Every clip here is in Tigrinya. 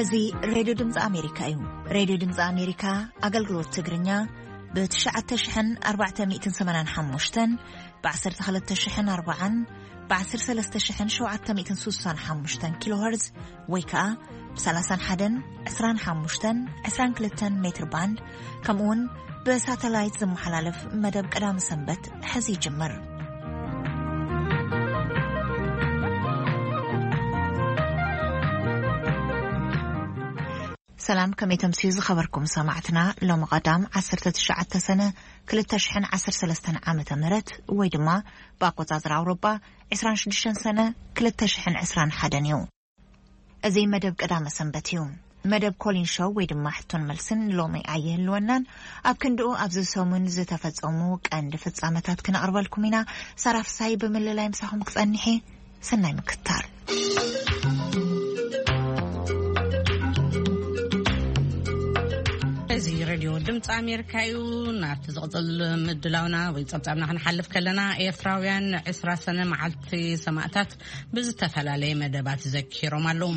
እዚ ሬድዮ ድምፂ ኣሜሪካ እዩ። ሬድዮ ድምፂ ኣሜሪካ ኣገልግሎት ትግርኛ ብ ትሽዓተ ሽሕን ኣርባዕተ ሚእትን ሰማንያን ሓሙሽተን፣ ብ ዓሰርተ ክልተ ሽሕን ኣርባዓን፣ ብ ዓሰርተ ሰለስተ ሽሕን ሸውዓተ ሚእትን ስሳን ሓሙሽተን ኪሎ ሄርዝ ወይ ከዓ ብ ሰላሳን ሓደን፣ ዕስራን ሓሙሽተን፣ ዕስራን ክልተን ሜትር ባንድ፣ ከምኡ እውን ብሳተላይት ዝመሓላለፍ መደብ ቀዳሚ ሰንበት ሕዚ ይጅምር። ሰላም፣ ከመይ ተምስዩ ዝኸበርኩም ሰማዕትና? ሎሚ ቀዳም ዓሰርተ ትሽዓተ ሰነ ክልተ ሽሕን ዓሰርተ ሰለስተን ዓመተ ምህረት ወይ ድማ ብኣቆጻጽራ ኣውሮጳ ዕስራን ሽዱሽተን ሰነ ክልተ ሽሕን ዕስራን ሓደን እዩ። እዚ መደብ ቀዳመ ሰንበት እዩ። መደብ ኮሊን ሾው ወይ ድማ ሕቶን መልስን ሎሚ ኣይህልወናን። ኣብ ክንድኡ ኣብዚ ሰሙን ዝተፈጸሙ ቀንዲ ፍጻመታት ክነቕርበልኩም ኢና። ሳራ ፍሳይ ብምልላይ ምሳኹም ክጸንሕ እየ። ሰናይ ምክትታል። እዚ ሬድዮ ድምፂ ኣሜሪካ እዩ። ናብቲ ዝቕፅል ምድላውና ወይ ጸብጻብና ክንሓልፍ ከለና፣ ኤርትራውያን ዕስራ ሰነ መዓልቲ ሰማእታት ብዝተፈላለየ መደባት ዘኪሮም ኣለዉ።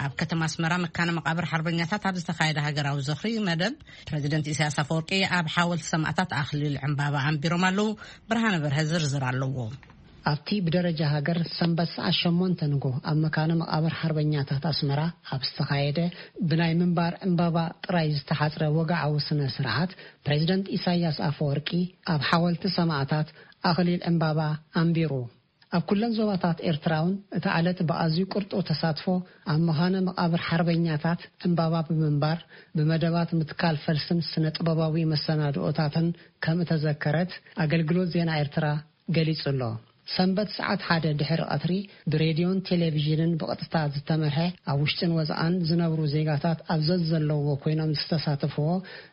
ኣብ ከተማ ኣስመራ መካነ መቃብር ሓርበኛታት ኣብ ዝተኻየደ ሃገራዊ ዝኽሪ መደብ፣ ፕረዚደንት ኢሳያስ ኣፈወርቂ ኣብ ሓወልቲ ሰማእታት ኣኽሊል ዕምባባ ኣንቢሮም ኣለዉ። ብርሃነ በርሀ ዝርዝር ኣለዎ። ኣብቲ ብደረጃ ሃገር ሰንበት ሰዓት ሸሞንተ ንጎ ኣብ መካነ መቃብር ሓርበኛታት ኣስመራ ኣብ ዝተኻየደ ብናይ ምንባር ዕምባባ ጥራይ ዝተሓጽረ ወግዓዊ ስነ ስርዓት፣ ፕሬዚደንት ኢሳያስ ኣፈወርቂ ኣብ ሓወልቲ ሰማእታት ኣኽሊል ዕምባባ ኣንቢሩ። ኣብ ኩለን ዞባታት ኤርትራ እውን እታ ዕለት ብኣዝዩ ቅርጡው ተሳትፎ ኣብ መኻነ መቓብር ሓርበኛታት ዕምባባ ብምንባር፣ ብመደባት ምትካል ፈልስን ስነ ጥበባዊ መሰናድኦታትን ከም እተዘከረት ኣገልግሎት ዜና ኤርትራ ገሊጹ ኣሎ። ሰንበት ሰዓት ሓደ ድሕሪ ቀትሪ ብሬድዮን ቴሌቪዥንን ብቐጥታ ዝተመርሐ ኣብ ውሽጥን ወጻእን ዝነብሩ ዜጋታት ኣብ ዘዘለውዎ ኮይኖም ዝተሳተፍዎ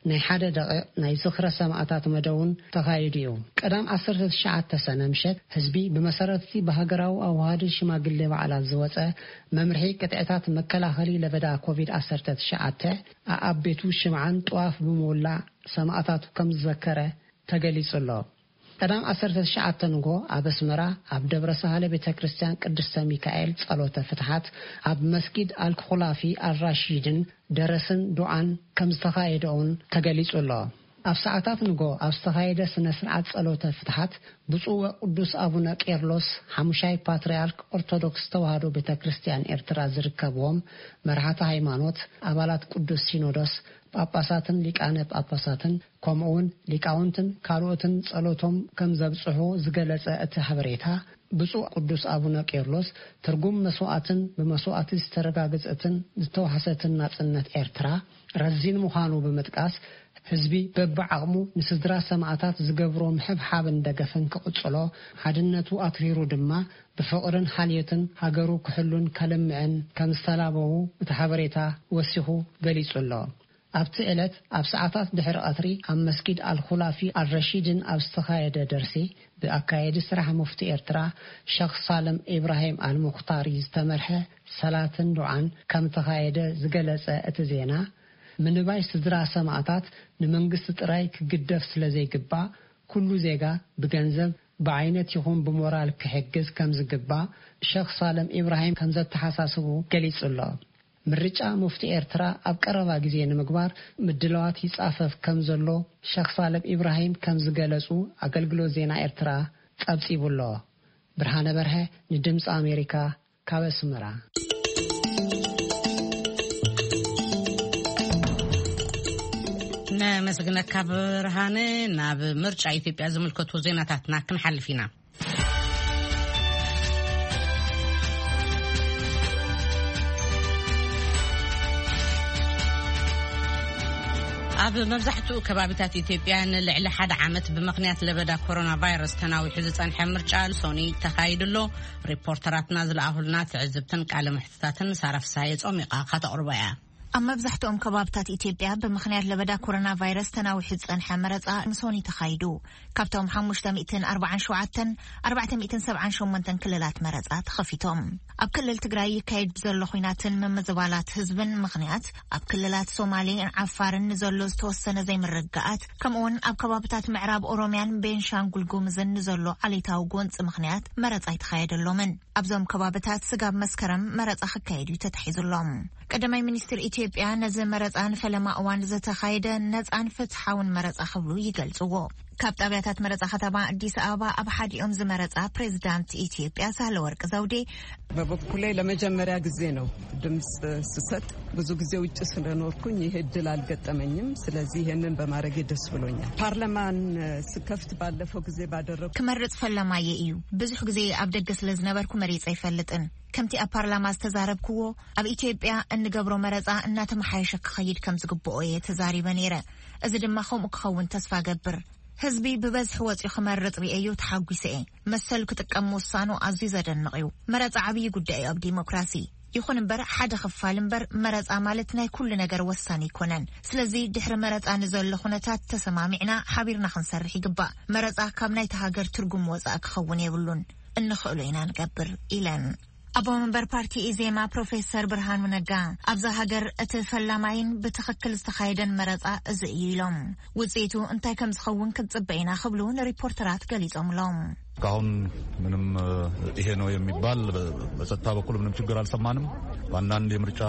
ናይ ሓደ ደቂቕ ናይ ዝኽረ ሰማእታት መደብ እውን ተኻይዱ እዩ። ቀዳም ዓሰርተ ትሽዓተ ሰነ ምሸት ህዝቢ ብመሰረት እቲ ብሃገራዊ ኣዋሃድን ሽማግሌ በዓላት ዝወጸ መምርሒ ቅጥዕታት መከላኸሊ ለበዳ ኮቪድ ዓሰርተ ትሽዓተ ኣኣብ ቤቱ ሽምዓን ጥዋፍ ብምውላዕ ሰማእታቱ ከም ዝዘከረ ተገሊጹ ኣሎ። ቀዳም ዓሰርተ ትሽዓተ ንጎ ኣብ ኣስመራ ኣብ ደብረ ሳህለ ቤተ ክርስቲያን ቅድስተ ሚካኤል ጸሎተ ፍትሓት፣ ኣብ መስጊድ ኣልኩላፊ ኣልራሺድን ደረስን ዱዓን ከም ዝተኻየደ እውን ተገሊጹ ኣሎ። ኣብ ሰዓታት ንጎ ኣብ ዝተኻየደ ስነ ስርዓት ጸሎተ ፍትሓት፣ ብፁዕ ወቅዱስ ኣቡነ ቄርሎስ ሓሙሻይ ፓትርያርክ ኦርቶዶክስ ተዋህዶ ቤተ ክርስቲያን ኤርትራ ዝርከብዎም መራሕቲ ሃይማኖት፣ ኣባላት ቅዱስ ሲኖዶስ፣ ጳጳሳትን ሊቃነ ጳጳሳትን፣ ከምኡውን ሊቃውንትን ካልኦትን ጸሎቶም ከም ዘብጽሑ ዝገለጸ እቲ ሓበሬታ፣ ብፁዕ ቅዱስ ኣቡነ ቄርሎስ፣ ትርጉም መስዋዕትን ብመስዋዕቲ ዝተረጋገጸትን ዝተዋሕሰትን ናጽነት ኤርትራ ረዚን ምዃኑ ብምጥቃስ፣ ህዝቢ በብዓቕሙ ንስድራ ሰማእታት ዝገብሮ ምሕብሓብን ደገፍን ክቕጽሎ፣ ሓድነቱ ኣትሪሩ ድማ ብፍቕርን ሓልዮትን ሃገሩ ክሕሉን ከልምዕን ከም ዝተላበዉ እቲ ሓበሬታ ወሲኹ ገሊጹ ኣሎ። ኣብቲ ዕለት ኣብ ሰዓታት ድሕሪ ቀትሪ ኣብ መስጊድ ኣልኹላፊ ኣልረሺድን ኣብ ዝተኻየደ ደርሲ፣ ብኣካየዲ ስራሕ ሙፍቲ ኤርትራ ሸኽ ሳልም ኢብራሂም ኣልሙኽታሪ ዝተመርሐ ሰላትን ዱዓን ከም ተኻየደ ዝገለጸ እቲ ዜና፣ ምንባይ ስድራ ሰማእታት ንመንግስቲ ጥራይ ክግደፍ ስለ ዘይግባእ፣ ኩሉ ዜጋ ብገንዘብ፣ ብዓይነት ይኹን ብሞራል ክሕግዝ ከም ዝግባእ ሸኽ ሳልም ኢብራሂም ከም ዘተሓሳስቡ ገሊጹ ኣሎ። ምርጫ ሙፍቲ ኤርትራ ኣብ ቀረባ ግዜ ንምግባር ምድላዋት ይጻፈፍ ከም ዘሎ ሸኽ ሳልም ኢብራሂም ከም ዝገለጹ ኣገልግሎት ዜና ኤርትራ ጸብጺቡ ኣሎ። ብርሃነ በርሀ ንድምጺ ኣሜሪካ ካብ ኣስመራ። ነመስግነካ ብርሃነ። ናብ ምርጫ ኢትዮጵያ ዝምልከቱ ዜናታትና ክንሓልፍ ኢና። ኣብ መብዛሕትኡ ከባቢታት ኢትዮጵያ ንልዕሊ ሓደ ዓመት ብምኽንያት ለበዳ ኮሮና ቫይረስ ተናዊሑ ዝጸንሐ ምርጫ ልሶኒ ተኻይዱ ኣሎ። ሪፖርተራትና ዝለኣኹልና ትዕዝብትን ቃለ ምሕትታትን ሳራ ፍስሃየ ጾሚቓ ከተቕርቦ እያ። ኣብ መብዛሕትኦም ከባብታት ኢትዮጵያ ብምኽንያት ለበዳ ኮሮና ቫይረስ ተናዊሑ ዝጸንሐ መረጻ ምሶኒ ተኻይዱ። ካብቶም ሓሙሽተ ሚእትን ኣርባዓን ሸውዓተን፣ ኣርባዕተ ሚእትን ሰብዓን ሸሞንተን ክልላት መረጻ ተኸፊቶም። ኣብ ክልል ትግራይ ይካየድ ብዘሎ ኹናትን ምምዝባላት ህዝብን ምኽንያት፣ ኣብ ክልላት ሶማሌን ዓፋርን ንዘሎ ዝተወሰነ ዘይምርግጋኣት፣ ከምኡውን ኣብ ከባብታት ምዕራብ ኦሮምያን ቤንሻንጉል ጉምዝን ንዘሎ ዓሌታዊ ጎንፂ ምኽንያት መረጻ ኣይተኻየደሎምን። ኣብዞም ከባብታት ስጋብ መስከረም መረጻ ክካየድ እዩ ተታሒዙሎም። ቀዳማይ ሚኒስትር ኢትዮጵያ ነዚ መረጻ ንፈለማ እዋን ዝተኻየደ ነጻን ፍትሓውን መረጻ ክብሉ ይገልጽዎ። ካብ ጣብያታት መረጻ ከተማ ኣዲስ ኣበባ ኣብ ሓዲኦም ዝመረጻ ፕሬዚዳንት ኢትዮጵያ ሳህለወርቅ ዘውዴ፣ በበኩሌ ለመጀመሪያ ጊዜ ነው ድምፅ ስሰጥ። ብዙ ጊዜ ውጭ ስለኖርኩኝ ይሄ እድል አልገጠመኝም። ስለዚህ ይሄንን በማድረጌ ደስ ብሎኛል። ፓርላማን ስከፍት ባለፈው ጊዜ ባደረጉ ክመርጽ ፈለማየ እዩ። ብዙሕ ግዜ ኣብ ደገ ስለ ዝነበርኩ መሪጸ ኣይፈልጥን። ከምቲ ኣብ ፓርላማ ዝተዛረብክዎ፣ ኣብ ኢትዮጵያ እንገብሮ መረጻ እናተመሓየሸ ክኸይድ ከም ዝግብኦ እየ ተዛሪበ ነይረ። እዚ ድማ ከምኡ ክኸውን ተስፋ ገብር። ህዝቢ ብበዝሒ ወጺኡ ክመርጽ ርእየዮ ተሓጒሰ እየ። መሰሉ ክጥቀም ምውሳኑ ኣዝዩ ዘደንቕ እዩ። መረጻ ዓብዪ ጉዳይ እዩ ኣብ ዲሞክራሲ። ይኹን እምበር፣ ሓደ ክፋል እምበር፣ መረጻ ማለት ናይ ኩሉ ነገር ወሳኒ ኣይኮነን። ስለዚ ድሕሪ መረጻ ንዘሎ ኩነታት ተሰማሚዕና ሓቢርና ክንሰርሕ ይግባእ። መረጻ ካብ ናይታ ሃገር ትርጉም ወጻኢ ክኸውን የብሉን። እንኽእሎ ኢና ንገብር ኢለን። ኣቦ መንበር ፓርቲ ኢዜማ ፕሮፌሰር ብርሃኑ ነጋ፣ ኣብዛ ሃገር እቲ ፈላማይን ብትኽክል ዝተኻየደን መረጻ እዚ እዩ ኢሎም። ውጽኢቱ እንታይ ከም ዝኸውን ክንጽበ ኢና ክብሉ ንሪፖርተራት ገሊጾምሎም። እስካሁን ምንም ይሄ ነው የሚባል በጸጥታ በኩል ምንም ችግር አልሰማንም። በአንዳንድ የምርጫ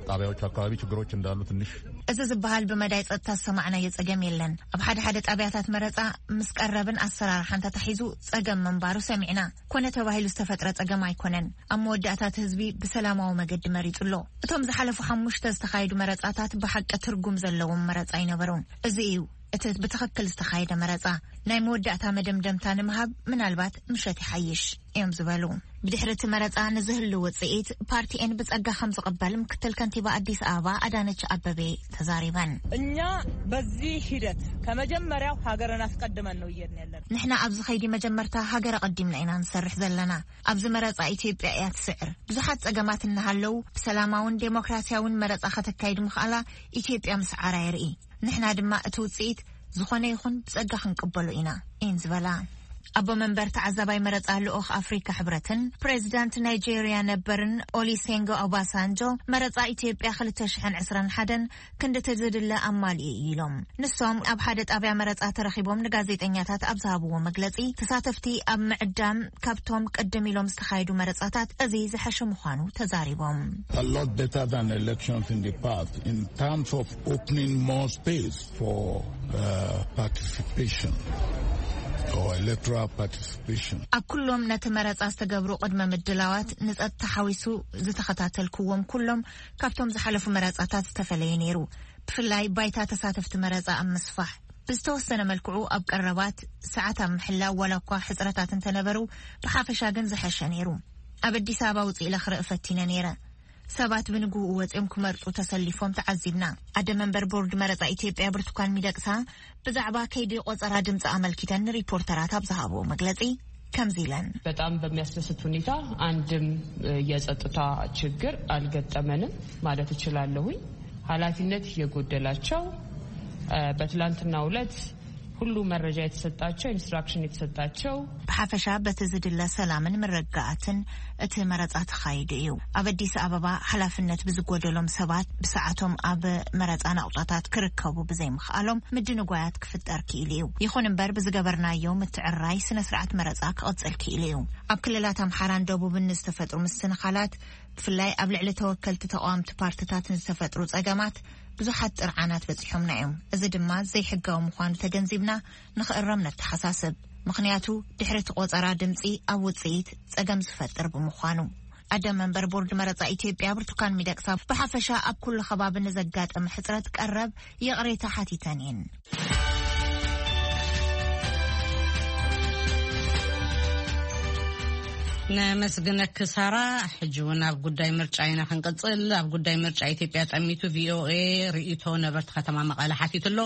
ጣቢያዎች አካባቢ ችግሮች እንዳሉ ትንሽ። እዚ ዝበሃል ብመዳይ ጸጥታ ዝሰማዕናዮ ጸገም የለን። ኣብ ሓደ ሓደ ጣብያታት መረጻ ምስ ቀረብን ኣሰራርሓን ተታሒዙ ጸገም ምንባሩ ሰሚዕና። ኮነ ተባሂሉ ዝተፈጥረ ጸገም ኣይኮነን። ኣብ መወዳእታ እቲ ህዝቢ ብሰላማዊ መገዲ መሪጹ ኣሎ። እቶም ዝሓለፉ ሓሙሽተ ዝተኻየዱ መረጻታት ብሓቂ ትርጉም ዘለዎም መረጻ ኣይነበሩን። እዚ እዩ እቲ ብትኽክል ዝተኻየደ መረጻ። ናይ መወዳእታ መደምደምታ ንምሃብ ምናልባት ምሸት ይሓይሽ እዮም ዝበሉ። ብድሕሪ እቲ መረጻ ንዝህሉ ውጽኢት ፓርቲኤን ብጸጋ ከም ዝቕበል ምክትል ከንቲባ ኣዲስ ኣበባ ኣዳነች ኣበቤ ተዛሪበን። እኛ በዚህ ሂደት ከመጀመሪያው ሀገርን አስቀድመን ነው እየሄድን ያለነው። ንሕና ኣብዚ ኸይዲ መጀመርታ ሃገር ኣቐዲምና ኢና ንሰርሕ ዘለና። ኣብዚ መረጻ ኢትዮጵያ እያ ትስዕር። ብዙሓት ጸገማት እናሃለዉ ብሰላማውን ዴሞክራሲያውን መረጻ ከተካይድ ምኽኣላ ኢትዮጵያ ምስዓራ የርኢ። ንሕና ድማ እቲ ውጽኢት ዝኾነ ይኹን ብጸጋ ክንቅበሎ ኢና እየን ዝበላ። ኣቦ መንበር ተዓዛባይ መረጻ ልኡኽ ኣፍሪካ ሕብረትን ፕሬዚዳንት ናይጄርያ ነበርን ኦሊሴንጎ ኦባሳንጆ፣ መረጻ ኢትዮጵያ ክልተ ሽሕን ዕስራን ሓደን ክንድቲ ዝድለ ኣማሊኡ እዩ ኢሎም። ንሶም ኣብ ሓደ ጣብያ መረጻ ተረኺቦም ንጋዜጠኛታት ኣብ ዝሃብዎ መግለጺ፣ ተሳተፍቲ ኣብ ምዕዳም ካብቶም ቅድም ኢሎም ዝተኻየዱ መረጻታት እዚ ዝሐሸ ምዃኑ ተዛሪቦም። A lot better than elections in the past in terms of opening more space for uh, participation or electoral participation. ኣብ ኩሎም ነቲ መረጻ ዝተገብሩ ቅድመ ምድላዋት ንጸጥታ ሓዊሱ ዝተኸታተልክዎም ኩሎም ካብቶም ዝሓለፉ መረጻታት ዝተፈለየ ነይሩ። ብፍላይ ባይታ ተሳተፍቲ መረጻ ኣብ ምስፋሕ፣ ብዝተወሰነ መልክዑ ኣብ ቀረባት ሰዓት ኣብ ምሕላው ዋላ እኳ ሕጽረታት እንተነበሩ፣ ብሓፈሻ ግን ዝሐሸ ነይሩ። ኣብ ኣዲስ ኣበባ ውጽእ ኢለ ክርኢ ፈቲነ ነይረ። ሰባት ብንግህኡ ወጺኦም ክመርጹ ተሰሊፎም ተዓዚብና። ኣደ መንበር ቦርድ መረጻ ኢትዮጵያ ብርቱካን ሚደቅሳ ብዛዕባ ከይዲ ቆጸራ ድምጺ ኣመልኪተን ንሪፖርተራት ኣብ ዝሃብዎ መግለጺ ከምዚ ኢለን። በጣም በሚያስደስት ሁኔታ አንድም የጸጥታ ችግር አልገጠመንም ማለት እችላለሁኝ። ኃላፊነት የጎደላቸው፣ በትላንትናው ዕለት ሁሉ መረጃ የተሰጣቸው፣ ኢንስትራክሽን የተሰጣቸው። ብሓፈሻ በቲ ዝድለ ሰላምን ምርግጋእን እቲ መረጻ ተኻይዱ እዩ። ኣብ ኣዲስ ኣበባ ሓላፍነት ብዝጎደሎም ሰባት ብሰዓቶም ኣብ መረጻ ናቑጣታት ክርከቡ ብዘይምኽኣሎም ምድንጓያት ክፍጠር ክኢሉ እዩ። ይኹን እምበር ብዝገበርናዮ ምትዕርራይ ስነ ስርዓት መረጻ ክቕጽል ክኢሉ እዩ። ኣብ ክልላት ኣምሓራን ደቡብን ንዝተፈጥሩ ምስንኻላት፣ ብፍላይ ኣብ ልዕሊ ተወከልቲ ተቓወምቲ ፓርትታት ንዝተፈጥሩ ጸገማት ብዙሓት ጥርዓናት በጺሖምና እዮም። እዚ ድማ ዘይሕጋዊ ምዃኑ ተገንዚብና ንኽእረም ነተሓሳስብ። ምኽንያቱ ድሕሪ እቲ ቆጸራ ድምጺ ኣብ ውጽኢት ጸገም ዝፈጥር ብምዃኑ። ኣደ መንበር ቦርድ መረጻ ኢትዮጵያ ብርቱካን ሚደቅሳ ብሓፈሻ ኣብ ኩሉ ከባቢ ንዘጋጠመ ሕጽረት ቀረብ ይቕሬታ ሓቲተን እየን። ነመስግነኪ ሳራ። ሕጂ እውን ኣብ ጉዳይ ምርጫ ኢና ክንቅጽል። ኣብ ጉዳይ ምርጫ ኢትዮጵያ ጠሚቱ ቪኦኤ ርእይቶ ነበርቲ ከተማ መቐለ ሓቲቱ ኣሎ።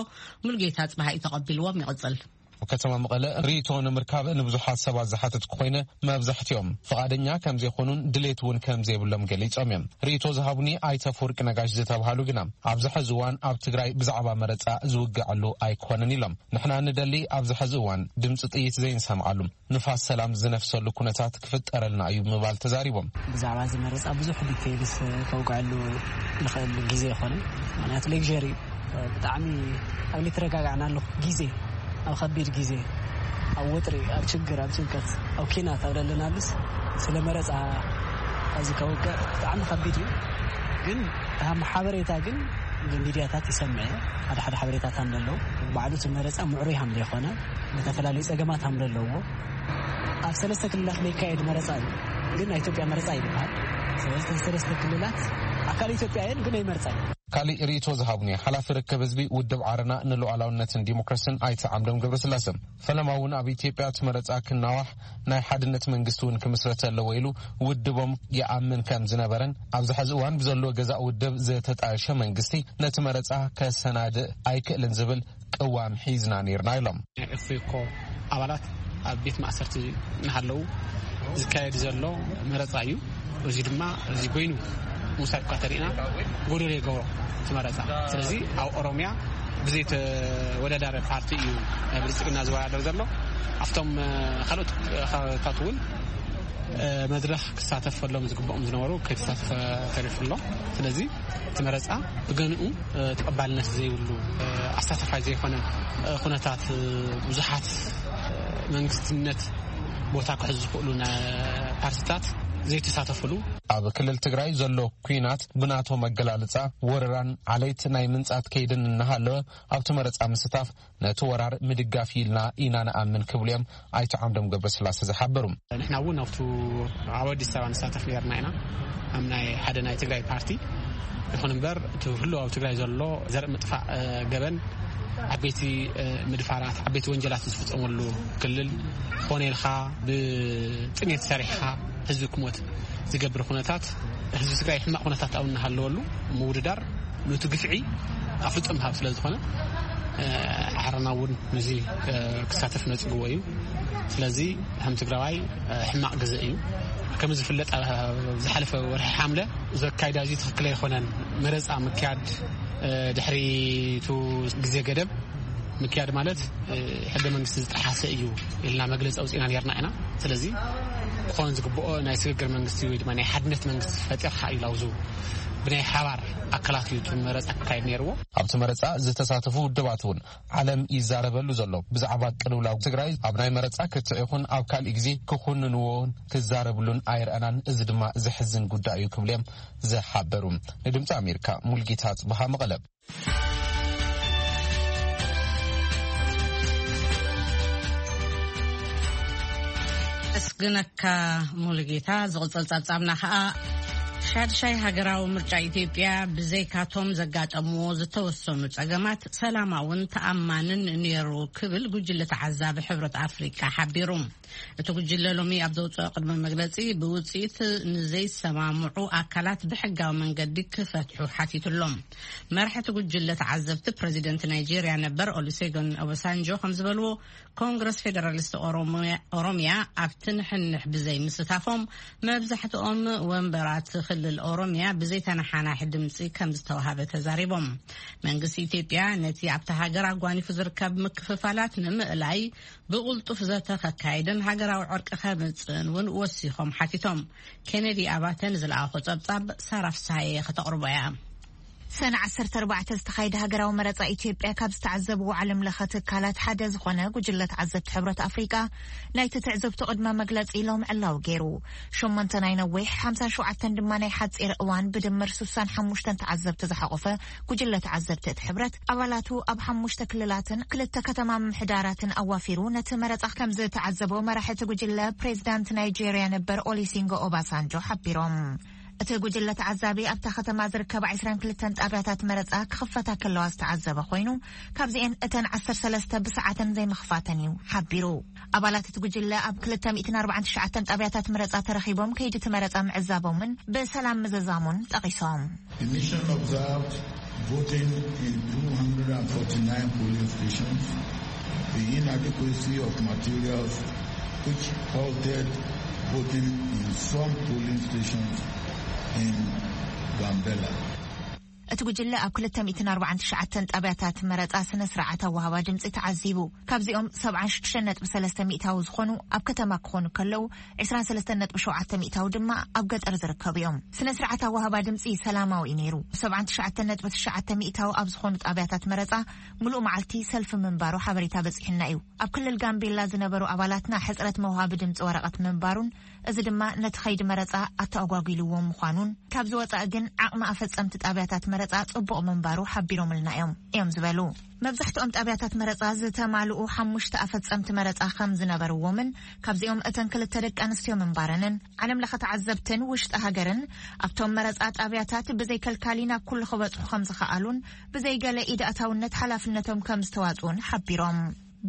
ሙሉጌታ ጽባሃ እዩ ተቐቢልዎም። ይቕጽል። ኣብ ከተማ መቐለ ርእይቶ ንምርካብ ንብዙሓት ሰባት ዝሓተትኩ ኮይነ፣ መብዛሕትኦም ፍቓደኛ ከም ዘይኮኑን ድሌት እውን ከም ዘይብሎም ገሊጾም እዮም። ርእይቶ ዝሃቡኒ ኣይተ ኣፈወርቂ ነጋሽ ዝተባሃሉ ግና፣ ኣብዚ ሕዚ እዋን ኣብ ትግራይ ብዛዕባ መረጻ ዝውገዐሉ ኣይኮነን ኢሎም። ንሕና ንደሊ ኣብዚ ሕዚ እዋን ድምፂ ጥይት ዘይንሰምዓሉ፣ ንፋስ ሰላም ዝነፍሰሉ ኩነታት ክፍጠረልና እዩ ብምባል ተዛሪቦም። ብዛዕባ እዚ መረፃ ብዙሕ ዲቴይልስ ከውግዐሉ ንኽእል ግዜ ኣይኮነን። ምኽንያቱ ሌክዠሪ እዩ። ብጣዕሚ ኣብ ልትረጋጋዕናሉ ግዜ፣ ኣብ ከቢድ ግዜ፣ ኣብ ወጥሪ፣ ኣብ ችግር፣ ኣብ ጭንቀት፣ ኣብ ኪናት ኣብ ዘለናሉስ ስለ መረፃ ኣብዚ ከውቅዕ ብጣዕሚ ከቢድ እዩ። ግን ከም ሓበሬታ ግን ሚድያታት ይሰምዐ፣ ሓደ ሓደ ሓበሬታታት ኣለዉ። ባዕሉ እቲ መረፃ ምዕሩይ ከም ዘይኮነ፣ ዝተፈላለዩ ፀገማት ከም ዘለዎ፣ ኣብ ሰለስተ ክልላት ዘይካየድ መረፃ እዩ። ግን ናይ ኢትዮጵያ መረፃ ይበሃል። ስለዚ ሰለስተ ክልላት ኣካል ኢትዮጵያ እየን፣ ግን ኣይመርፃ እዩ። ካሊእ ርእይቶ ዝሃቡኒ ሓላፊ ርክብ ህዝቢ ውድብ ዓረና ንሉዓላውነትን ዲሞክራሲን ኣይተ ዓምዶም ገብረስላሰ፣ ፈለማ እውን ኣብ ኢትዮጵያ እቲ መረፃ ክናዋሕ፣ ናይ ሓድነት መንግስቲ እውን ክምስረት ኣለዎ ኢሉ ውድቦም ይኣምን ከም ዝነበረን፣ ኣብዚ ሕዚ እዋን ብዘሎ ገዛእ ውድብ ዝተጣየሸ መንግስቲ ነቲ መረፃ ከሰናድእ ኣይክእልን ዝብል ቅዋም ሒዝና ነይርና ኢሎም። ናይ ኦፌኮ ኣባላት ኣብ ቤት ማእሰርቲ እናሃለዉ ዝካየድ ዘሎ መረፃ እዩ። እዚ ድማ እዚ ኮይኑ ምውሳድ እኳ ተሪእና ጎደሎ ይገብሮ እቲ መረፃ። ስለዚ ኣብ ኦሮሚያ ብዘይተወዳዳሪ ፓርቲ እዩ ብልፅግና ዝወዳደር ዘሎ። ኣብቶም ካልኦት ከባቢታት እውን መድረኽ ክሳተፈሎም ዝግብኦም ዝነበሩ ከይተሳተፈ ተሪፉ ኣሎ። ስለዚ እቲ መረፃ ብገንኡ ተቐባልነት ዘይብሉ፣ ኣሳታፋይ ዘይኮነ ኩነታት፣ ብዙሓት መንግስትነት ቦታ ክሕዙ ዝኽእሉ ፓርቲታት ዘይተሳተፍሉ። ኣብ ክልል ትግራይ ዘሎ ኲናት ብናቶ መገላልፃ ወረራን ዓሌት ናይ ምንፃት ከይድን እናሃለወ ኣብቲ መረፃ ምስታፍ ነቲ ወራር ምድጋፍ ኢልና ኢና ንኣምን ክብሉ እዮም ኣይተ ዓምዶም ገብረስላሴ ዝሓበሩ። ንሕና እውን ኣብቱ ኣብ ኣዲስ ኣበባ ንሳተፍ ነርና ኢና፣ ኣብ ናይ ሓደ ናይ ትግራይ ፓርቲ። ይኹን እምበር እቲ ህሉ ኣብ ትግራይ ዘሎ ዘርኢ ምጥፋእ ገበን፣ ዓበይቲ ምድፋራት፣ ዓበይቲ ወንጀላት ዝፍፀመሉ ክልል፣ ኾነ ኢልካ ብጥሜት ሰሪሕካ ህዝቢ ክሞት ዝገብር ኩነታት፣ ህዝቢ ትግራይ ሕማቕ ኩነታት ኣብ እናሃለወሉ ምውድዳር፣ ነቲ ግፍዒ ኣፍልጦ ምሃብ ስለ ዝኾነ፣ ዓረና እውን ነዚ ክሳተፍ ነፅግዎ እዩ። ስለዚ ከም ትግራዋይ ሕማቕ ግዜ እዩ። ከም ዝፍለጥ ዝሓለፈ ወርሒ ሓምለ ዘካይዳ እዚ ትኽክል ኣይኮነን። መረፃ ምክያድ ድሕሪቱ ግዜ ገደብ ምክያድ ማለት ሕገ መንግስቲ ዝጠሓሰ እዩ ኢልና መግለፂ ኣውፂእና ነርና ኢና። ስለዚ ክኾን ዝግብኦ ናይ ስግግር መንግስቲ ወይ ድማ ናይ ሓድነት መንግስቲ ፈጢርካ እዩ ላውዙ ብናይ ሓባር ኣካላት እዩ እቲ መረፃ ክካየድ ነይርዎ። ኣብቲ መረፃ ዝተሳተፉ ውድባት እውን ዓለም ይዛረበሉ ዘሎ ብዛዕባ ቅልውላው ትግራይ ኣብ ናይ መረፃ ክትዕ ይኹን ኣብ ካልእ ግዜ ክኹንንዎን ክዛረብሉን ኣይረኣናን። እዚ ድማ ዘሕዝን ጉዳይ እዩ ክብሉ እዮም ዝሓበሩ። ንድምፂ ኣሜሪካ ሙልጌታ ጽብሃ መቐለ። ኣመስግነካ ሙሉጌታ። ዝቕጽል ጸብጻብና ከኣ ሻድሻይ ሃገራዊ ምርጫ ኢትዮጵያ ብዘይካቶም ዘጋጠምዎ ዝተወሰኑ ጸገማት ሰላማውን ተኣማንን ነይሩ ክብል ጉጅለ ተዓዛቢ ሕብረት ኣፍሪቃ ሓቢሩ። እቲ ጉጅለ ሎሚ ኣብ ዘውፅኦ ቅድመ መግለፂ ብውፅኢት ንዘይሰማምዑ ኣካላት ብሕጋዊ መንገዲ ክፈትሑ ሓቲቱ ኣሎ። መራሕቲ ጉጅለ ተዓዘብቲ ፕረዚደንት ናይጄርያ ነበር ኦሉሴጎን ኦባሳንጆ ከም ዝበልዎ፣ ኮንግረስ ፌደራሊስት ኦሮሚያ ኣብቲ ንሕንሕ ብዘይ ምስታፎም መብዛሕትኦም ወንበራት ክልል ኦሮሚያ ብዘይተነሓናሒ ድምፂ ከም ዝተዋሃበ ተዛሪቦም። መንግስቲ ኢትዮጵያ ነቲ ኣብታ ሃገር ኣጓኒፉ ዝርከብ ምክፍፋላት ንምእላይ ብቕልጡፍ ዘተ ከካይድን ሃገራዊ ዕርቂ ከምጽእን እውን ወሲኾም ሓቲቶም። ኬነዲ ኣባተ ንዝለኣኾ ጸብጻብ ሳራ ፍስሃየ ከተቕርቦ እያ። ሰነ ዓሰርተ ኣርባዕተ ዝተኻየደ ሃገራዊ መረጻ ኢትዮጵያ ካብ ዝተዓዘብዎ ዓለም ለኸ ትካላት ሓደ ዝኾነ ጉጅለ ተዓዘብቲ ሕብረት ኣፍሪቃ ናይቲ ትዕዝብቱ ቅድመ መግለጺ ሎም ዕላው ገይሩ። ሸሞንተ ናይ ነዊሕ፣ ሓምሳን ሸውዓተን ድማ ናይ ሓጺር እዋን ብድምር ስሳን ሓሙሽተን ተዓዘብቲ ዝሓቖፈ ጉጅለ ተዓዘብቲ እቲ ሕብረት ኣባላቱ ኣብ ሓሙሽተ ክልላትን ክልተ ከተማ ምምሕዳራትን ኣዋፊሩ ነቲ መረጻ ከም ዝተዓዘቦ መራሒ እቲ ጉጅለ ፕሬዚዳንት ናይጄርያ ነበር ኦሊሲንጎ ኦባሳንጆ ሓቢሮም። እቲ ጉጅለ ተዓዛቢ ኣብታ ከተማ ዝርከባ ዕስራን ክልተን ጣብያታት መረጻ ክኽፈታ ከለዋ ዝተዓዘበ ኮይኑ፣ ካብዚኤን እተን ዓሰርተ ሰለስተ ብሰዓተን ዘይምኽፋተን እዩ ሓቢሩ። ኣባላት እቲ ጉጅለ ኣብ ክልተ ሚእትን ኣርባዓን ትሽዓተን ጣብያታት መረጻ ተረኺቦም ከይዲ እቲ መረጻ ምዕዛቦምን ብሰላም ምዝዛሙን ጠቒሶም። The mission observed voting in two hundred forty-nine polling stations, the inadequacy of materials which halted voting in some polling stations in Gambela. እቲ ጉጅለ ኣብ ክልተ ሚእትን ኣርባዓን ትሽዓተን ጣብያታት መረፃ ስነ ስርዓት ኣወሃባ ድምፂ ተዓዚቡ። ካብዚኦም ሰብዓን ሽዱሽተን ነጥቢ ሰለስተ ሚእታዊ ዝኾኑ ኣብ ከተማ ክኾኑ ከለዉ፣ ዕስራን ሰለስተን ነጥቢ ሸውዓተ ሚእታዊ ድማ ኣብ ገጠር ዝርከቡ እዮም። ስነ ስርዓት ኣወሃባ ድምፂ ሰላማዊ እዩ ነይሩ። ሰብዓን ትሽዓተን ነጥቢ ትሽዓተ ሚእታዊ ኣብ ዝኾኑ ጣብያታት መረፃ ምሉእ መዓልቲ ሰልፊ ምንባሩ ሓበሬታ በፂሑና እዩ። ኣብ ክልል ጋምቤላ ዝነበሩ ኣባላትና ሕፅረት መውሃቢ ድምፂ ወረቐት ምንባሩን፣ እዚ ድማ ነቲ ኸይዲ መረፃ ኣተኣጓጒልዎ ምዃኑን፣ ካብዚ ወፃኢ ግን ዓቕሚ ኣፈፀምቲ ጣብያታት መረፃ ፅቡቕ ምንባሩ ሓቢሮምልና እዮም እዮም ዝበሉ። መብዛሕትኦም ጣብያታት መረፃ ዝተማልኡ ሓሙሽተ ኣፈፀምቲ መረፃ ከም ዝነበርዎምን፣ ካብዚኦም እተን ክልተ ደቂ ኣንስትዮ ምንባረንን፣ ዓለም ለኸ ተዓዘብትን ውሽጢ ሃገርን ኣብቶም መረፃ ጣብያታት ብዘይ ከልካሊ ናብ ኩሉ ክበፅሑ ከም ዝኸኣሉን፣ ብዘይ ገለ ኢድ ኣእታውነት ሓላፍነቶም ከም ዝተዋፅኡን ሓቢሮም።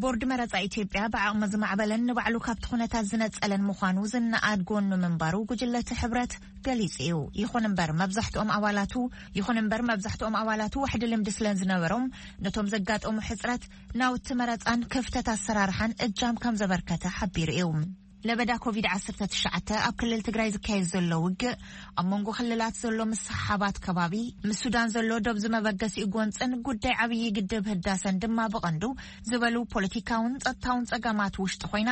ቦርድ መረፃ ኢትዮጵያ ብዓቕሚ ዝማዕበለን ንባዕሉ ካብቲ ኩነታት ዝነፀለን ምዃኑ ዝነኣድ ጎኑ ምንባሩ ጉጅለ እቲ ሕብረት ገሊጹ እዩ። ይኹን እምበር መብዛሕትኦም ኣባላቱ ይኹን እምበር መብዛሕትኦም ኣባላቱ ዋሕዲ ልምዲ ስለ ዝነበሮም፣ ነቶም ዘጋጠሙ ሕጽረት ናውቲ መረጻን ክፍተት ኣሰራርሓን እጃም ከም ዘበርከተ ሓቢሩ እዩ። ለበዳ ኮቪድ ዓሰርተ ትሽዓተ ኣብ ክልል ትግራይ ዝካየድ ዘሎ ውግእ፣ ኣብ መንጎ ክልላት ዘሎ ምስሕሓባት ከባቢ፣ ምስ ሱዳን ዘሎ ዶብ ዝመበገሲኡ ጎንፅን ጉዳይ ዓብዪ ግድብ ህዳሰን ድማ ብቐንዱ ዝበሉ ፖለቲካውን ጸጥታውን ጸገማት ውሽጢ ኮይና፣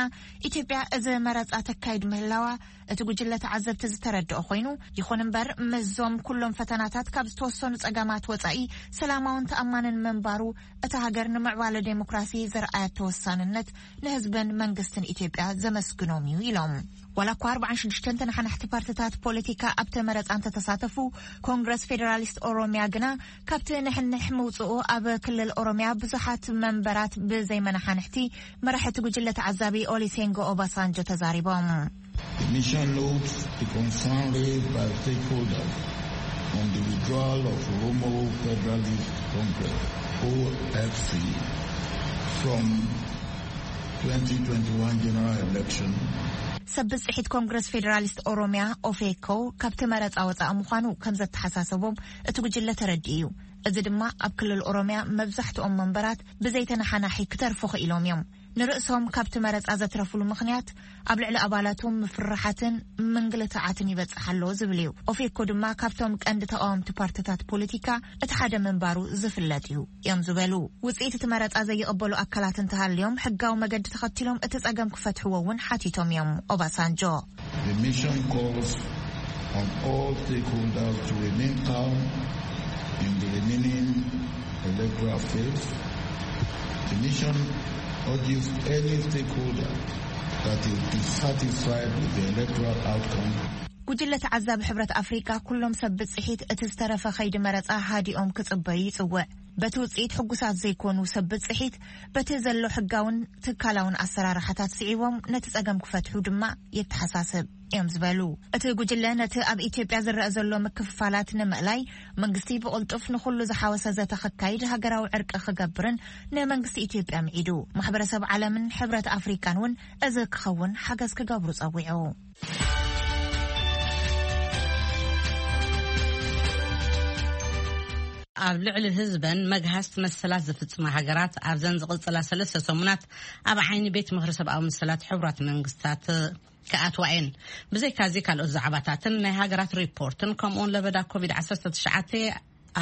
ኢትዮጵያ እዚ መረጻ ተካይድ ምህላዋ እቲ ጉጅለ ተዓዘብቲ ዝተረድኦ ኮይኑ፣ ይኹን እምበር ምስዞም ኩሎም ፈተናታት ካብ ዝተወሰኑ ጸገማት ወጻኢ ሰላማውን ተኣማንን ምንባሩ፣ እታ ሃገር ንምዕባለ ዴሞክራሲ ዘርኣያቶ ወሳንነት ንህዝብን መንግስትን ኢትዮጵያ ዘመስግኖም እዩ ኢሎም። ዋላ እኳ ኣርባዓን ሽዱሽተን ተነሓናሕቲ ፓርትታት ፖለቲካ ኣብቲ መረጻ እንተተሳተፉ፣ ኮንግረስ ፌዴራሊስት ኦሮሚያ ግና ካብቲ ንሕንሕ ምውጽኡ ኣብ ክልል ኦሮሚያ ብዙሓት መንበራት ብዘይመናሓንሕቲ መራሒ እቲ ጉጅለ ተዓዛቢ ኦሊሴንጎ ኦባሳንጆ ተዛሪቦም። The mission notes the concern raised by stakeholders on the withdrawal of Oromo Federalist Congress, O F C, from twenty twenty-one general election. ሰብ ብጽሒት ኮንግረስ ፌዴራሊስት ኦሮሚያ ኦፌኮ ካብቲ መረጻ ወጻኢ ምዃኑ ከም ዘተሓሳሰቦም እቲ ጉጅለ ተረዲኡ እዩ። እዚ ድማ ኣብ ክልል ኦሮሚያ መብዛሕትኦም መንበራት ብዘይተነሓናሒ ክተርፉ ክኢሎም እዮም። ንርእሶም ካብቲ መረጻ ዘትረፉሉ ምኽንያት ኣብ ልዕሊ ኣባላቶም ምፍርራሓትን ምንግልታዓትን ይበጽሕ ኣሎ ዝብል እዩ። ኦፌኮ ድማ ካብቶም ቀንዲ ተቃወምቲ ፓርትታት ፖለቲካ እቲ ሓደ ምንባሩ ዝፍለጥ እዩ እዮም ዝበሉ። ውጽኢት እቲ መረጻ ዘይቕበሉ ኣካላት እንተሃልዮም ሕጋዊ መገዲ ተኸቲሎም እቲ ጸገም ክፈትሕዎ እውን ሓቲቶም እዮም ኦባሳንጆ። The mission calls on all stakeholders to remain calm in the remaining electoral phase. The mission urges any stakeholder that is dissatisfied with the electoral outcome. ጉጅለ ተዓዛቢ ሕብረት ኣፍሪቃ ኩሎም ሰብ ብጽሒት እቲ ዝተረፈ ከይዲ መረጻ ሃዲኦም ክጽበዩ ይጽውዕ። በቲ ውጽኢት ሕጉሳት ዘይኮኑ ሰብ ብጽሒት በቲ ዘሎ ሕጋውን ትካላውን ኣሰራርሓታት ስዒቦም ነቲ ጸገም ክፈትሑ ድማ የተሓሳስብ እዮም ዝበሉ እቲ ጉጅለ። ነቲ ኣብ ኢትዮጵያ ዝረአ ዘሎ ምክፍፋላት ንምእላይ መንግስቲ ብቕልጡፍ ንኹሉ ዝሓወሰ ዘተ ከካይድ ሃገራዊ ዕርቂ ክገብርን ንመንግስቲ ኢትዮጵያ ምዒዱ። ማሕበረሰብ ዓለምን ሕብረት ኣፍሪቃን እውን እዚ ክኸውን ሓገዝ ክገብሩ ጸዊዑ። ኣብ ልዕሊ ህዝበን መግሃስቲ መሰላት ዝፍጽማ ሃገራት ኣብዘን ዝቕጽላ ሰለስተ ሰሙናት ኣብ ዓይኒ ቤት ምኽሪ ሰብኣዊ መሰላት ሕቡራት መንግስታት ክኣትዋ እየን። ብዘይካዚ ካልኦት ዛዕባታትን ናይ ሃገራት ሪፖርትን ከምኡውን ለበዳ ኮቪድ ዓሰርተ ትሽዓተ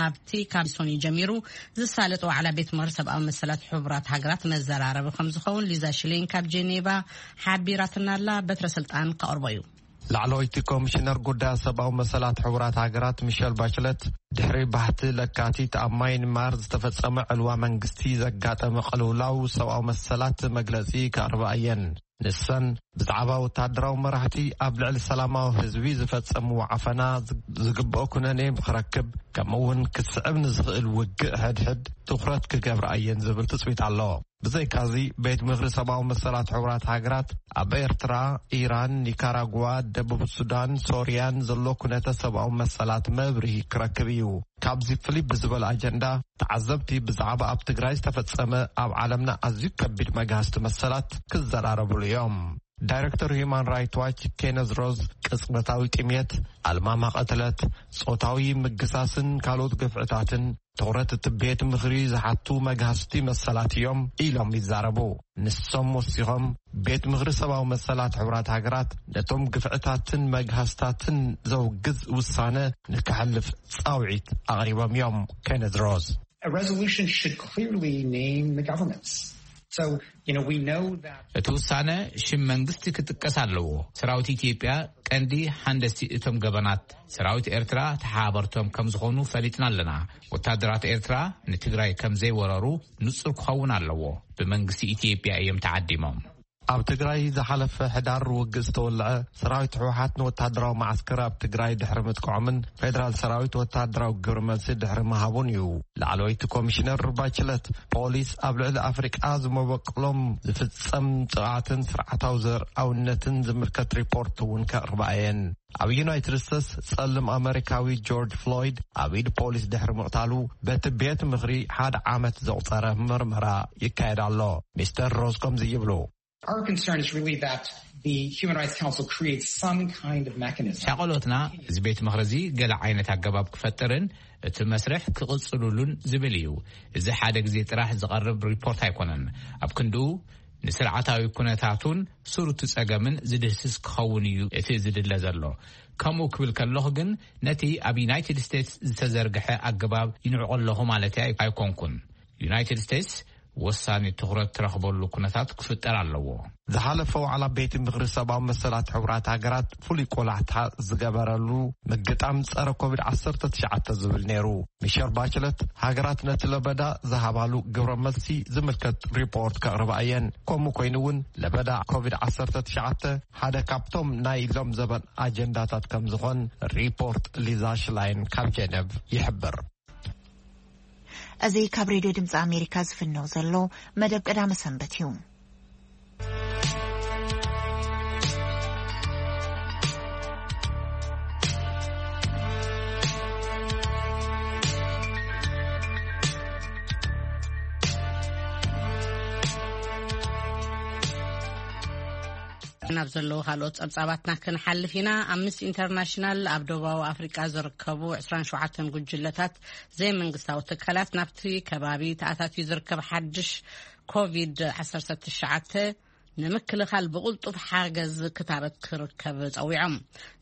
ኣብቲ ካብ ሰኑይ ጀሚሩ ዝሳለጥ ዋዕላ ቤት ምኽሪ ሰብኣዊ መሰላት ሕቡራት ሃገራት መዘራረቢ ከም ዝኸውን ሊዛ ሽሌን ካብ ጄኔቫ ሓቢራትና ኣላ። በትረ ስልጣን ከቕርቦ እዩ። ላዕለወይቲ ኮሚሽነር ጉዳያት ሰብኣዊ መሰላት ሕቡራት ሃገራት ሚሸል ባችለት ድሕሪ ባህቲ ለካቲት ኣብ ማይንማር ዝተፈጸመ ዕልዋ መንግስቲ ዘጋጠመ ቅልውላው ሰብኣዊ መሰላት መግለጺ ከቕርባ እየን። ንሰን ብዛዕባ ወታደራዊ መራሕቲ ኣብ ልዕሊ ሰላማዊ ህዝቢ ዝፈጸምዎ ዓፈና ዝግብኦ ኩነኔ ክረክብ ከምኡ እውን ክስዕብ ንዝኽእል ውግእ ሕድሕድ ትኹረት ክገብራ እየን ዝብል ትጽቢት ኣሎ። ብዘይካዚ ቤት ምኽሪ ሰብኣዊ መሰላት ሕቡራት ሃገራት ኣብ ኤርትራ፣ ኢራን፣ ኒካራጓ፣ ደቡብ ሱዳን፣ ሶርያን ዘሎ ኩነተ ሰብኣዊ መሰላት መብርሂ ክረክብ እዩ። ካብዚ ፍልይ ብዝበለ ኣጀንዳ ተዓዘብቲ ብዛዕባ ኣብ ትግራይ ዝተፈጸመ ኣብ ዓለምና ኣዝዩ ከቢድ መግሃስቲ መሰላት ክዘራረብሉ እዮም። ዳይሬክተር ሂዩማን ራይት ዋች ኬነዝ ሮዝ፣ ቅጽበታዊ ጥሜት፣ ኣልማማ ቅትለት፣ ጾታዊ ምግሳስን ካልኦት ግፍዕታትን ትኹረት እቲ ቤት ምኽሪ ዝሓቱ መግሃስቲ መሰላት እዮም ኢሎም ይዛረቡ። ንሶም ወሲኾም፣ ቤት ምኽሪ ሰብኣዊ መሰላት ሕቡራት ሃገራት ነቶም ግፍዕታትን መግሃስታትን ዘውግዝ ውሳነ ንክሕልፍ ጻውዒት ኣቕሪቦም እዮም። ኬነዝ ሮዝ። A resolution should clearly name the governments. So, you know, we know that እቲ ውሳነ ሽም መንግስቲ ክጥቀስ ኣለዎ። ሰራዊት ኢትዮጵያ ቀንዲ ሃንደስቲ እቶም ገበናት፣ ሰራዊት ኤርትራ ተሓባበርቶም ከም ዝኾኑ ፈሊጥና ኣለና። ወታደራት ኤርትራ ንትግራይ ከም ዘይወረሩ ንጹር ክኸውን ኣለዎ። ብመንግስቲ ኢትዮጵያ እዮም ተዓዲሞም። ኣብ ትግራይ ዝሓለፈ ሕዳር ውግእ ዝተወልዐ፣ ሰራዊት ህወሓት ንወታደራዊ መዓስከር ኣብ ትግራይ ድሕሪ ምጥቃዖምን ፌደራል ሰራዊት ወታደራዊ ግብረ መልሲ ድሕሪ ምሃቡን እዩ። ላዕለወይቲ ኮሚሽነር ባችለት፣ ፖሊስ ኣብ ልዕሊ ኣፍሪቃ ዝመበቅሎም ዝፍጸም ጥቓትን ስርዓታዊ ዘርኣውነትን ዝምልከት ሪፖርት እውን ከቕርባ እየን። ኣብ ዩናይትድ ስቴትስ፣ ጸልም ኣመሪካዊ ጆርጅ ፍሎይድ ኣብ ኢድ ፖሊስ ድሕሪ ምቕታሉ፣ በቲ ቤት ምኽሪ ሓደ ዓመት ዘቑጸረ ምርመራ ይካየድ ኣሎ። ሚስተር ሮዝ ከምዚ ይብሉ። Our concern is really that the Human Rights Council creates some kind of mechanism. ሻቐሎትና፣ እዚ ቤት ምኽሪ እዚ ገለ ዓይነት ኣገባብ ክፈጥርን እቲ መስርሕ ክቕጽሉሉን ዝብል እዩ። እዚ ሓደ ግዜ ጥራሕ ዝቐርብ ሪፖርት ኣይኮነን። ኣብ ክንድኡ፣ ንስርዓታዊ ኩነታቱን ስሩቲ ጸገምን ዝድህስስ ክኸውን እዩ እቲ ዝድለ ዘሎ። ከምኡ ክብል ከለኹ ግን፣ ነቲ ኣብ ዩናይትድ ስቴትስ ዝተዘርግሐ ኣገባብ ይንዕቆ ኣለኹ ማለት ኣይ-፣ ኣይኮንኩን። ዩናይትድ ስቴትስ ወሳኒ ትኹረት ትረኽበሉ ኩነታት ክፍጠር ኣለዎ። ዝሓለፈ ዋዕላ ቤት ምኽሪ ሰብኣዊ መሰላት ሕቡራት ሃገራት ፍሉይ ቆላሕታ ዝገበረሉ ምግጣም ጸረ ኮቪድ ዓሰርተ ትሽዓተ ዝብል ነይሩ። ሚሸል ባችለት፣ ሃገራት ነቲ ለበዳ ዝሃባሉ ግብረ መልሲ ዝምልከት ሪፖርት ከቕርባ እየን። ከምኡ ኮይኑ እውን፣ ለበዳ ኮቪድ ዓሰርተ ትሽዓተ ሓደ ካብቶም ናይ ሎም ዘበን ኣጀንዳታት ከም ዝኾን ሪፖርት ሊዛ ሽላይን ካብ ጀነቭ ይሕብር። እዚ ካብ ሬድዮ ድምፂ ኣሜሪካ ዝፍነው ዘሎ መደብ ቀዳመ ሰንበት እዩ። ናብ ዘለዉ ካልኦት ጸብጻባትና ክንሓልፍ ኢና። ኣምነስቲ ኢንተርናሽናል ኣብ ደቡባዊ ኣፍሪቃ ዝርከቡ ዕስራን ሸውዓተን ጉጅለታት ዘይመንግስታዊ ትካላት ናብቲ ከባቢ ተኣታትዩ ዝርከብ ሓድሽ ኮቪድ ዓሰርተ ትሽዓተ ንምክልኻል ብቕልጡፍ ሓገዝ ክታበት ክርከብ ጸዊዖም።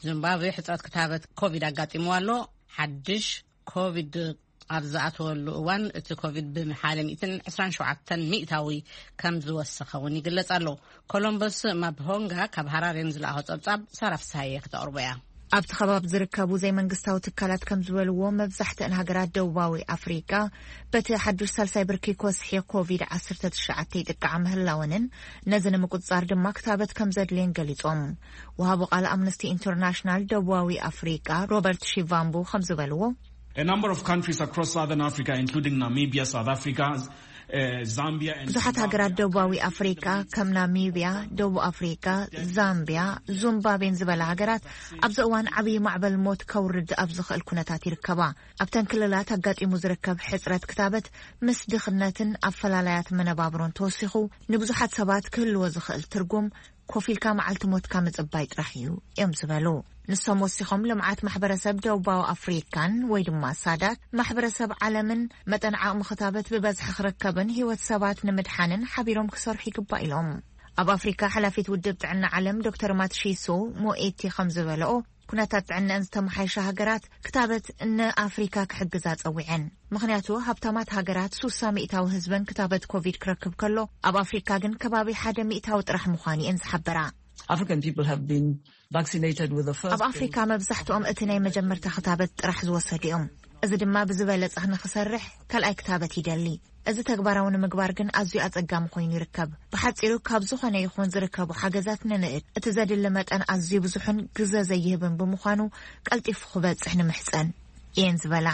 ዚምባብዌ ሕጽረት ክታበት ኮቪድ ኣጋጢምዋ ኣሎ። ሓድሽ ኮቪድ ኣብ ዝኣተወሉ እዋን፣ እቲ ኮቪድ ብሓደ ሚእትን ዕስራን ሸውዓተን ሚእታዊ ከም ዝወሰኸ እውን ይግለጽ ኣሎ። ኮሎምበስ ማብሆንጋ ካብ ሃራሬ ንዝለኣኾ ጸብጻብ ሳራ ፍስሃየ ክተቕርቦ እያ። ኣብቲ ከባቢ ዝርከቡ ዘይመንግስታዊ ትካላት ከም ዝበልዎ፣ መብዛሕትአን ሃገራት ደቡባዊ ኣፍሪቃ በቲ ሓዱሽ ሳልሳይ ብርኪ ኮስሒ ኮቪድ ዓሰርተ ትሽዓተ ይጥቃዓ ምህላወንን፣ ነዚ ንምቁጽጻር ድማ ክታበት ከም ዘድልየን ገሊጾም። ወሃቢ ቃል ኣምነስቲ ኢንተርናሽናል ደቡባዊ ኣፍሪቃ ሮበርት ሺቫምቡ ከም ዝበልዎ፣ A number of countries across Southern Africa, including Namibia, South Africa, uh, Zambia, and ብዙሓት ሃገራት Zimbabwe, ደቡባዊ ኣፍሪቃ ከም ናሚብያ፣ ደቡብ ኣፍሪቃ፣ ዛምብያ፣ ዙምባቤን ዝበላ ሃገራት ኣብዚ እዋን ዓብዪ ማዕበል ሞት ከውርድ ኣብ ዝኽእል ኩነታት ይርከባ። ኣብተን ክልላት ኣጋጢሙ ዝርከብ ሕጽረት ክታበት ምስ ድኽነትን ኣፈላላያት መነባብሮን ተወሲኹ፣ ንብዙሓት ሰባት ክህልዎ ዝኽእል ትርጉም ኮፍ ኢልካ መዓልቲ ሞትካ ምጽባይ ጥራሕ እዩ እዮም ዝበሉ። ንሶም ወሲኾም፣ ልምዓት ማሕበረሰብ ደቡባዊ ኣፍሪካን ወይ ድማ ሳዳክ፣ ማሕበረሰብ ዓለምን መጠን ዓቕሚ ክታበት ብበዝሒ ክርከብን ህይወት ሰባት ንምድሓንን ሓቢሮም ክሰርሑ ይግባእ ኢሎም። ኣብ ኣፍሪካ ሓላፊት ውድብ ጥዕና ዓለም ዶክተር ማትሺሶ ሞኤቲ ከም ዝበለኦ፣ ኩነታት ጥዕነአን ዝተመሓየሻ ሃገራት ክታበት ንኣፍሪካ ክሕግዛ ጸዊዐን። ምኽንያቱ፣ ሃብታማት ሃገራት ሱሳ ሚእታዊ ህዝበን ክታበት ኮቪድ ክረክብ ከሎ፣ ኣብ ኣፍሪካ ግን ከባቢ ሓደ ሚእታዊ ጥራሕ ምዃኑ እየን ዝሓበራ። African people have been vaccinated with the first ኣብ ኣፍሪካ መብዛሕትኦም እቲ ናይ መጀመርታ ክታበት ጥራሕ ዝወሰዱ እዮም። እዚ ድማ ብዝበለጸ ንክሰርሕ ካልኣይ ክታበት ይደሊ። እዚ ተግባራዊ ንምግባር ግን ኣዝዩ ኣጸጋሚ ኮይኑ ይርከብ። ብሓጺሩ፣ ካብ ዝኾነ ይኹን ዝርከቡ ሓገዛት ንንእድ። እቲ ዘድሊ መጠን ኣዝዩ ብዙሕን ግዘ ዘይህብን ብምዃኑ፣ ቀልጢፉ ክበጽሕ ንምሕጸን እየን ዝበላ።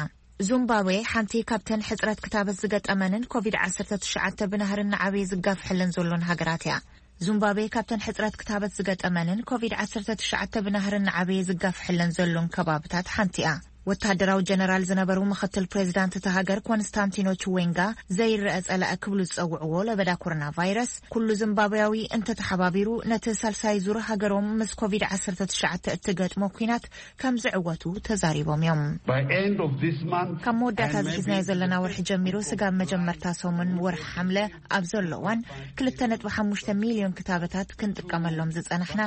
ዙምባብዌ ሓንቲ ካብተን ሕጽረት ክታበት ዝገጠመንን ኮቪድ ዓሰርተ ትሽዓተ ብናህሪ እናዓበየ ዝጋፍሐለን ዘሎን ሃገራት እያ። ዙምባብዌ ካብተን ሕጽረት ክታበት ዝገጠመንን ኮቪድ ዓሰርተ ትሽዓተ ብናህሪ እናዓበየ ዝጋፍሐለን ዘሎን ከባብታት ሓንቲ እያ። ወታደራዊ ጀነራል ዝነበሩ ምኽትል ፕሬዚዳንት እታ ሃገር ኮንስታንቲኖ ችዌንጋ፣ ዘይረአ ጸላኢ ክብሉ ዝጸውዕዎ ለበዳ ኮሮና ቫይረስ፣ ኩሉ ዚምባብያዊ እንተተሓባቢሩ ነቲ ሳልሳይ ዙር ሃገሮም ምስ ኮቪድ ዓሰርተ ትሽዓተ እትገጥሞ ኲናት ከም ዝዕወቱ ተዛሪቦም እዮም። ካብ መወዳእታ ዝሒዝናዮ ዘለና ወርሒ ጀሚሩ፣ ስጋብ መጀመርታ ሰሙን ወርሒ ሓምለ ኣብ ዘሎ እዋን፣ ክልተ ነጥቢ ሓሙሽተ ሚልዮን ክታበታት ክንጥቀመሎም ዝጸናሕና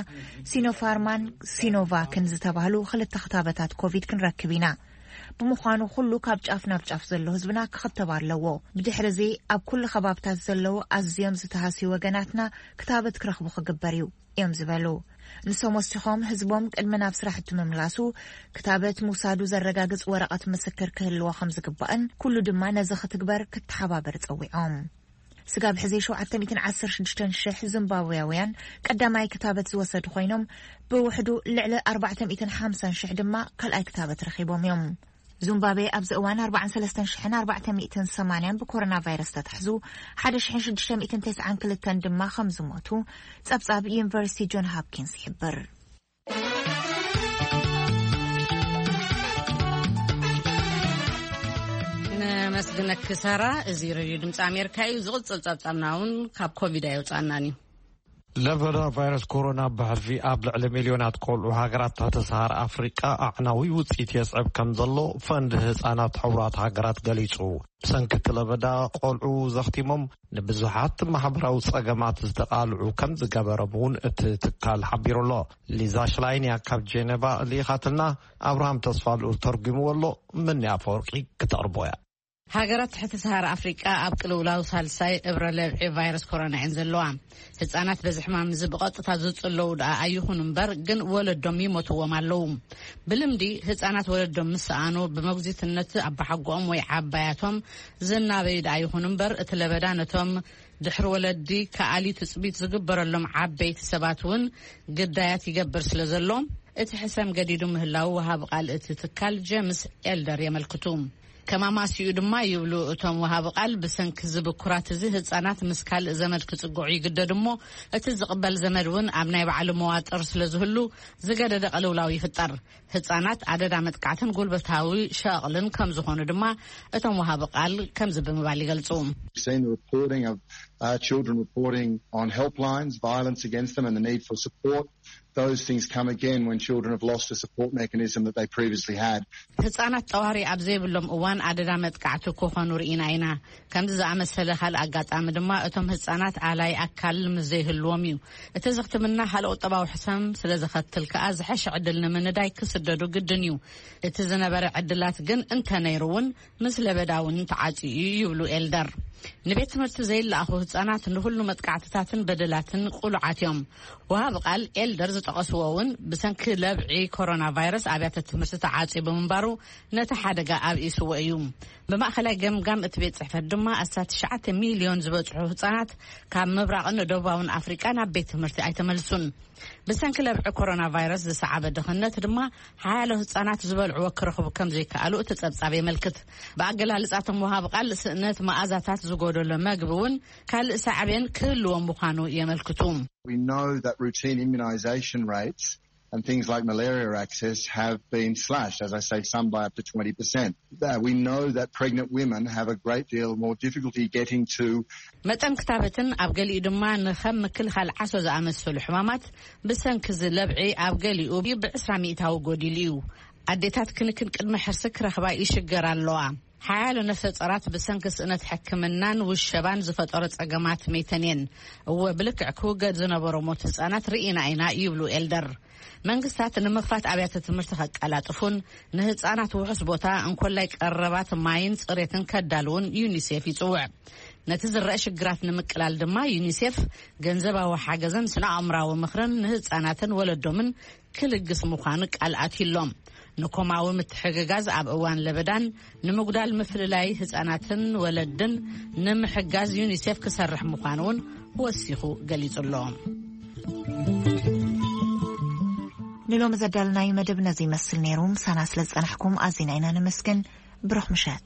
ሲኖፋርማን ሲኖቫክን ዝተባህሉ ክልተ ክታበታት ኮቪድ ክንረክብ ኢና። ብምዃኑ፣ ኩሉ ካብ ጫፍ ናብ ጫፍ ዘሎ ህዝብና ክኽተብ ኣለዎ። ብድሕሪ እዚ፣ ኣብ ኩሉ ከባብታት ዘለዉ ኣዝዮም ዝተሃስዩ ወገናትና ክታበት ክረኽቡ ክግበር እዩ እዮም ዝበሉ። ንሶም ወሲኾም፣ ህዝቦም ቅድሚ ናብ ስራሕቲ ምምላሱ ክታበት ምውሳዱ ዘረጋግጽ ወረቐት ምስክር ክህልዎ ከም ዝግባእን፣ ኩሉ ድማ ነዚ ክትግበር ክተሓባበር ጸዊዖም። ስጋብ ሕዚ ሸውዓተ ሚእትን ዓሰርተ ሽዱሽተን ሽሕ ዚምባብያውያን ቀዳማይ ክታበት ዝወሰዱ ኮይኖም፣ ብውሕዱ ልዕሊ ኣርባዕተ ሚእትን ሓምሳን ሽሕ ድማ ካልኣይ ክታበት ረኺቦም እዮም። ዙምባቤ ኣብዚ እዋን ኣርባዓን ሰለስተን ሽሕን ኣርባዕተ ሚእትን ሰማንያን ብኮሮና ቫይረስ ተታሕዙ፣ ሓደ ሽሕን ሽዱሽተ ሚእትን ተስዓን ክልተን ድማ ከም ዝሞቱ ጸብጻብ ዩኒቨርሲቲ ጆን ሃፕኪንስ ይሕብር። ነመስግነኪ ሳራ። እዚ ሬድዮ ድምፂ ኣሜሪካ እዩ። ዝቕፅል ጸብጻብና እውን ካብ ኮቪድ ኣይወፃእናን እዩ። ለበዳ ቫይረስ ኮሮና ብሕልፊ ኣብ ልዕሊ ሚልዮናት ቆልዑ ሃገራት ትሕቲ ሰሃራ ኣፍሪቃ ኣዕናዊ ውፅኢት የስዕብ ከም ዘሎ ፈንድ ህፃናት ሕቡራት ሃገራት ገሊጹ። ብሰንኪ እቲ ለበዳ ቆልዑ ዘኽቲሞም ንብዙሓት ማሕበራዊ ጸገማት ዝተቓልዑ ከም ዝገበሮም እውን እቲ ትካል ሓቢሩ ኣሎ። ሊዛ ሽላይን እያ ካብ ጄኔቫ ልኢኻትልና። ኣብርሃም ተስፋ ልኡል ተርጒምዎ ኣሎ። ምኒ ኣፈወርቂ ክተቕርቦ እያ። ሃገራት ትሕቲ ሰሃራ ኣፍሪቃ ኣብ ቅልውላው ሳልሳይ እብረ ለብዒ ቫይረስ ኮሮና እየን ዘለዋ። ህጻናት በዚ ሕማም እዚ ብቐጥታ ዝጽለዉ ደኣ ኣይኹኑ እምበር፣ ግን ወለዶም ይሞትዎም ኣለዉ። ብልምዲ ህጻናት ወለዶም ምስ ሰኣኑ፣ ብመጉዚትነት ኣባሓጎኦም ወይ ዓባያቶም ዝናበዩ ደኣ ይኹኑ እምበር፣ እቲ ለበዳ ነቶም ድሕሪ ወለዲ ከኣሊ ትጽቢት ዝግበረሎም ዓበይቲ ሰባት እውን ግዳያት ይገብር ስለ ዘሎ፣ እቲ ሕሰም ገዲዱ ምህላዉ ወሃቢ ቃል እቲ ትካል ጄምስ ኤልደር የመልክቱ። ከም ኣማስይኡ ድማ ይብሉ እቶም ወሃቢ ቃል፣ ብሰንኪ እዚ ብኩራት እዚ ህጻናት ምስ ካልእ ዘመድ ክጽግዑ ይግደዱ እሞ፣ እቲ ዝቕበል ዘመድ እውን ኣብ ናይ ባዕሉ መዋጥር ስለ ዝህሉ ዝገደደ ቅልውላው ይፍጠር። ህጻናት ኣደዳ መጥቃዕትን ጉልበታዊ ሸቕልን ከም ዝኾኑ ድማ እቶም ወሃቢ ቃል ከምዚ ብምባል ይገልጹ። We've seen the reporting of, uh, children reporting on helplines, violence against them and the need for support. Those things come again when children have lost a support mechanism that they previously had. ህጻናት ጠዋሪ ኣብ ዘይብሎም እዋን ኣደዳ መጥቃዕቲ ክኾኑ ርኢና ኢና። ከምዚ ዝኣመሰለ ካልእ ኣጋጣሚ ድማ እቶም ህጻናት ኣላይ ኣካል ምስ ዘይህልዎም እዩ። እቲ እዚ ሕክምና ካልእ ቁጠባዊ ሕሰም ስለ ዘኸትል ከኣ ዝሐሸ ዕድል ንምንዳይ ክስደዱ ግድን እዩ። እቲ ዝነበረ ዕድላት ግን እንተነይሩ እውን ምስ ለበዳ እውን ተዓጽዩ እዩ ይብሉ ኤልደር። ንቤት ትምህርቲ ዘይለኣኹ ህጻናት ንኹሉ መጥቃዕትታትን በደላትን ቁሉዓት እዮም። ወሃቢ ቃል ኤልደር ዝጠቐስዎ እውን ብሰንኪ ለብዒ ኮሮና ቫይረስ ኣብያተ ትምህርቲ ተዓጽዩ ብምንባሩ ነቲ ሓደጋ ኣብኢስዎ እዩ። ብማእኸላይ ገምጋም እቲ ቤት ጽሕፈት ድማ ኣስታት ትሽዓተ ሚልዮን ዝበጽሑ ህጻናት ካብ ምብራቕን ደቡባውን ኣፍሪቃ ናብ ቤት ትምህርቲ ኣይተመልሱን። ብሰንኪ ለብዒ ኮሮና ቫይረስ ዝሰዓበ ድኽነት ድማ ሓያሎ ህጻናት ዝበልዕዎ ክረኽቡ ከም ዘይከኣሉ እቲ ጸብጻብ የመልክት። ብኣገላልጻ እቶም ወሃቢ ቃል፣ ስእነት መኣዛታት ዝጎደሎ መግቢ እውን ካልእ ሳዕቤን ክህልዎ ምዃኑ የመልክቱ። We know that routine immunisation rates and things like malaria access have been slashed, as I say, some by up to twenty percent. That we know that pregnant women have a great deal more difficulty getting to. መጠን ክታበትን ኣብ ገሊኡ ድማ ንኸም ምክልኻል ዓሶ ዝኣመሰሉ ሕማማት ብሰንኪ እዚ ለብዒ ኣብ ገሊኡ ብዕስራ ሚእታዊ ጎዲሉ እዩ። ኣዴታት ክንክን ቅድመ ሕርሲ ክረኽባ ይሽገራ ኣለዋ። ሓያሎ ነፍሰ ጾራት ብሰንኪ ስእነት ሕክምናን ውሸባን ዝፈጠሮ ጸገማት መይተን እየን። እወ፣ ብልክዕ ክውገድ ዝነበሮ ሞት ህጻናት ርኢና ኢና ይብሉ ኤልደር። መንግስታት ንምኽፋት ኣብያተ ትምህርቲ ከቀላጥፉን ንህጻናት ውሑስ ቦታ እንኮላይ ቀረባት ማይን ጽሬትን ከዳልውን ዩኒሴፍ ይጽውዕ። ነቲ ዝረአ ሽግራት ንምቅላል ድማ ዩኒሴፍ ገንዘባዊ ሓገዝን ስነ ኣእምራዊ ምኽርን ንህጻናትን ወለዶምን ክልግስ ምዃኑ ቃል ኣትዩሎም። ንኮማዊ ምትሕግጋዝ ኣብ እዋን ለበዳን ንምጉዳል ምፍልላይ ህጻናትን ወለድን ንምሕጋዝ ዩኒሴፍ ክሰርሕ ምዃኑ እውን ወሲኹ ገሊጹ ኣሎ። ንሎሚ ዘዳልናዩ መደብ ነዚ ይመስል ነይሩ። ምሳና ስለ ዝጸናሕኩም ኣዚና ኢና ነመስግን። ብሩኽ ምሸት።